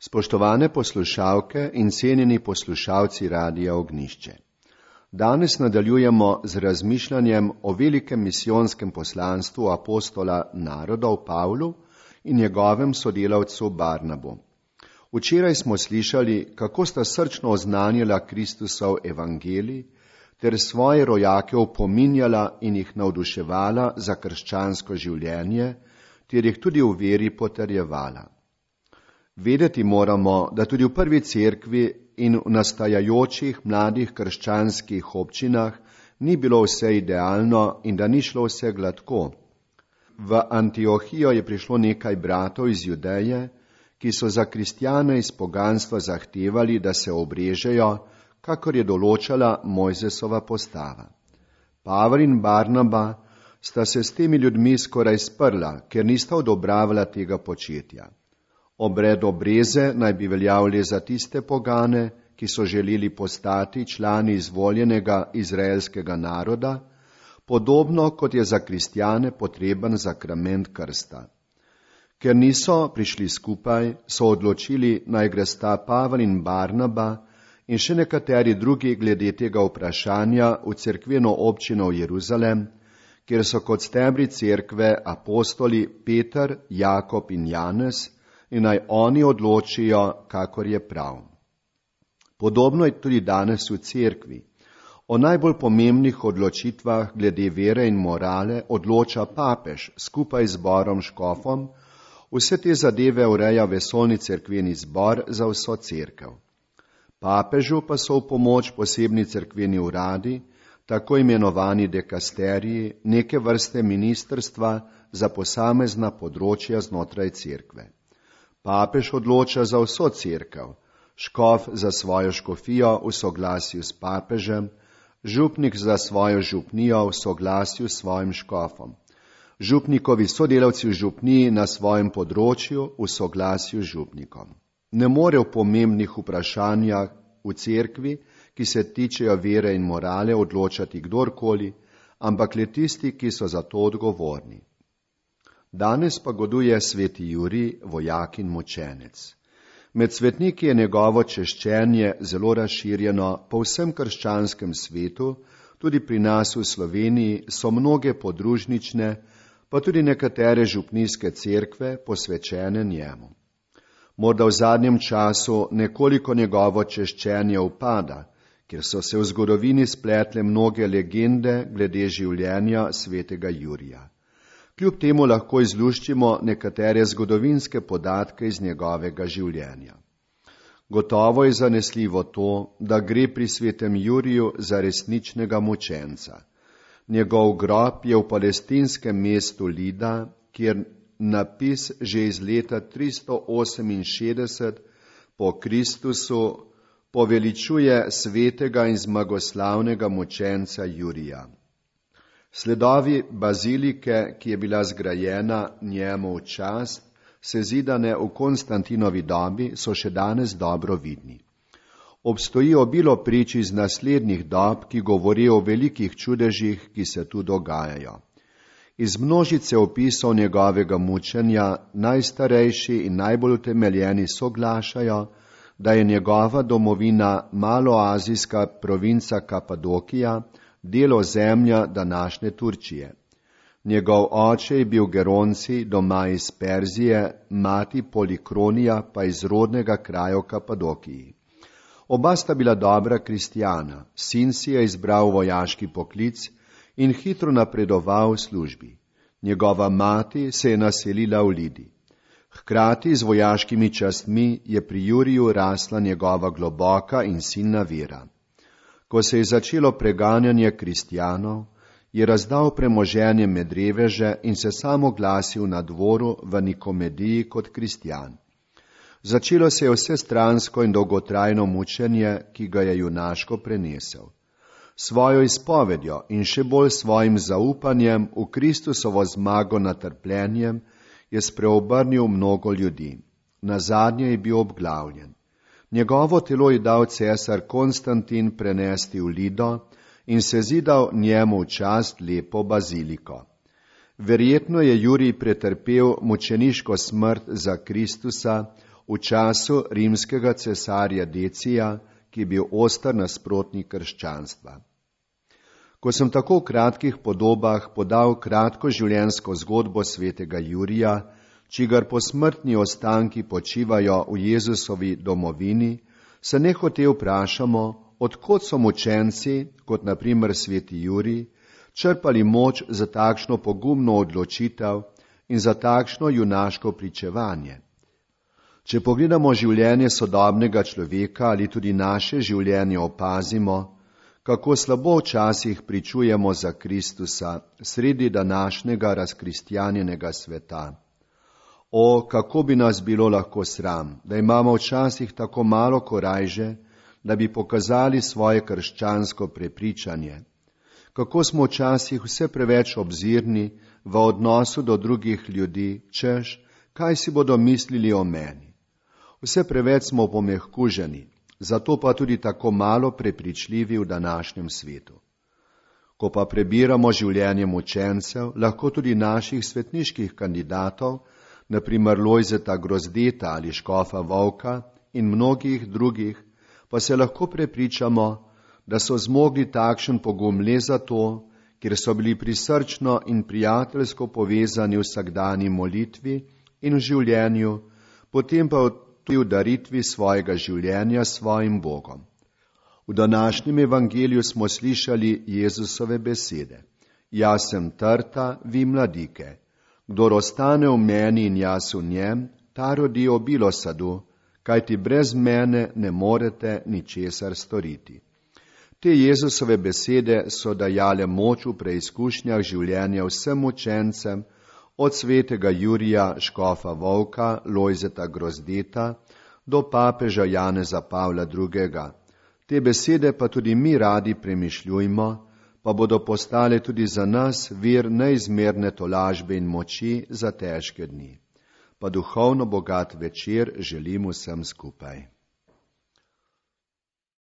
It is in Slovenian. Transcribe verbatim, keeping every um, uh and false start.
Spoštovane poslušalke in cenjeni poslušalci Radia Ognjišče. Danes nadaljujemo z razmišljanjem o velikem misijonskem poslanstvu apostola narodov Pavlu in njegovem sodelavcu Barnabu. Včeraj smo slišali, kako sta srčno oznanjala Kristusov evangelij ter svoje rojake opominjala in jih navduševala za krščansko življenje, ter jih tudi v veri potrjevala. Vedeti moramo, da tudi v prvi cerkvi in v nastajajočih mladih krščanskih občinah ni bilo vse idealno in da ni šlo vse gladko. V Antiohijo je prišlo nekaj bratov iz Judeje, ki so za kristjane iz poganstva zahtevali, da se obrežejo, kakor je določala Mojzesova postava. Pavel in Barnaba sta se s temi ljudmi skoraj sprla, ker nista odobravala tega početja. Obred obreze naj bi veljal le za tiste pogane, ki so želeli postati člani izvoljenega izraelskega naroda, podobno kot je za kristjane potreben zakrament krsta. Ker niso prišli skupaj, so odločili, naj gresta Pavel in Barnaba in še nekateri drugi glede tega vprašanja v cerkveno občino v Jeruzalem, kjer so kot stebri cerkve apostoli Peter, Jakob in Janez, in naj oni odločijo, kakor je prav. Podobno je tudi danes v cerkvi. O najbolj pomembnih odločitvah glede vere in morale odloča papež skupaj z zborom škofom, vse te zadeve ureja vesoljni cerkveni zbor za vso cerkev. Papežu pa so v pomoč posebni cerkveni uradi, tako imenovani dekasteriji, neke vrste ministrstva za posamezna področja znotraj cerkve. Papež odloča za vso cerkev, škof za svojo škofijo v soglasju s papežem, župnik za svojo župnijo v soglasju s svojim škofom, župnikovi sodelavci v župniji na svojem področju v soglasju z župnikom. Ne more v pomembnih vprašanjah v cerkvi, ki se tičejo vere in morale, odločati kdorkoli, ampak le tisti, ki so za to odgovorni. Danes pa goduje sveti Jurij, vojak in mučenec. Med svetniki je njegovo češčenje zelo razširjeno po vsem krščanskem svetu, tudi pri nas v Sloveniji so mnoge podružnične, pa tudi nekatere župnijske cerkve posvečene njemu. Morda v zadnjem času nekoliko njegovo češčenje upada, ker so se v zgodovini spletle mnoge legende glede življenja svetega Jurija. Kljub temu lahko izluščimo nekatere zgodovinske podatke iz njegovega življenja. Gotovo je zanesljivo to, da gre pri svetem Juriju za resničnega mučenca. Njegov grob je v palestinskem mestu Lida, kjer napis že iz leta tristo oseminšestdeset po Kristusu poveličuje svetega in zmagoslavnega mučenca Jurija. Sledovi bazilike, ki je bila zgrajena njemu v čast, sezidane v Konstantinovi dobi, so še danes dobro vidni. Obstoji obilo prič iz naslednjih dob, ki govorijo o velikih čudežih, ki se tu dogajajo. Iz množice opisov njegovega mučenja najstarejši in najbolj utemeljeni soglašajo, da je njegova domovina maloazijska provinca Kapadokija, del ozemlja današnje Turčije. Njegov oče je bil Geronci, doma iz Perzije, mati Polikronija pa iz rodnega kraja v Kapadokiji. Oba sta bila dobra kristjana, sin si je izbral vojaški poklic in hitro napredoval v službi. Njegova mati se je naselila v Lidi. Hkrati z vojaškimi častmi je pri Juriju rasla njegova globoka in silna vera. Ko se je začelo preganjanje kristjanov, je razdal premoženje med reveže in se sam oglasil na dvoru v Nikomediji kot kristjan. Začelo se je vsestransko in dolgotrajno mučenje, ki ga je junaško prenesel. Svojo izpovedjo in še bolj svojim zaupanjem v Kristusovo zmago nad trpljenjem je spreobrnil mnogo ljudi. Nazadnje je bil obglavljen. Njegovo telo je dal cesar Konstantin prenesti v Lido in se zidal njemu v čast lepo baziliko. Verjetno je Jurij pretrpel mučeniško smrt za Kristusa v času rimskega cesarja Decija, ki je bil oster nasprotnik krščanstva. Ko sem tako v kratkih podobah podal kratko življenjsko zgodbo svetega Jurija, čigar posmrtni ostanki počivajo v Jezusovi domovini, se nehote vprašamo, od kod so mučenci, kot na primer sveti Jurij, črpali moč za takšno pogumno odločitev in za takšno junaško pričevanje. Če pogledamo življenje sodobnega človeka ali tudi naše življenje, opazimo, kako slabo včasih pričujemo za Kristusa sredi današnjega razkristjanjenega sveta. O, kako bi nas bilo lahko sram, da imamo včasih tako malo korajže, da bi pokazali svoje krščansko prepričanje. Kako smo včasih vse preveč obzirni v odnosu do drugih ljudi, češ, kaj si bodo mislili o meni. Vse preveč smo pomehkuženi, zato pa tudi tako malo prepričljivi v današnjem svetu. Ko pa prebiramo življenje mučencev, lahko tudi naših svetniških kandidatov, na primer Lojzeta Grozdeta ali škofa Vovka in mnogih drugih, pa se lahko prepričamo, da so zmogli takšen pogum le zato, ker so bili prisrčno in prijateljsko povezani v vsakdanji molitvi in v življenju, potem pa tudi v daritvi svojega življenja svojim Bogom. V današnjem evangeliju smo slišali Jezusove besede. Jaz sem trta, vi mladike. Kdor ostane v meni in jaz v njem, ta rodi obilo sadu, kajti brez mene ne morete ničesar storiti. Te Jezusove besede so dajale moč v preizkušnjah življenja vsem učencem, od svetega Jurija, škofa Vovka, Lojzeta Grozdeta do papeža Janeza Pavla drugega. Te besede pa tudi mi radi premišljujmo, pa bodo postale tudi za nas vir neizmerne tolažbe in moči za težke dni. Pa duhovno bogat večer želim vsem skupaj.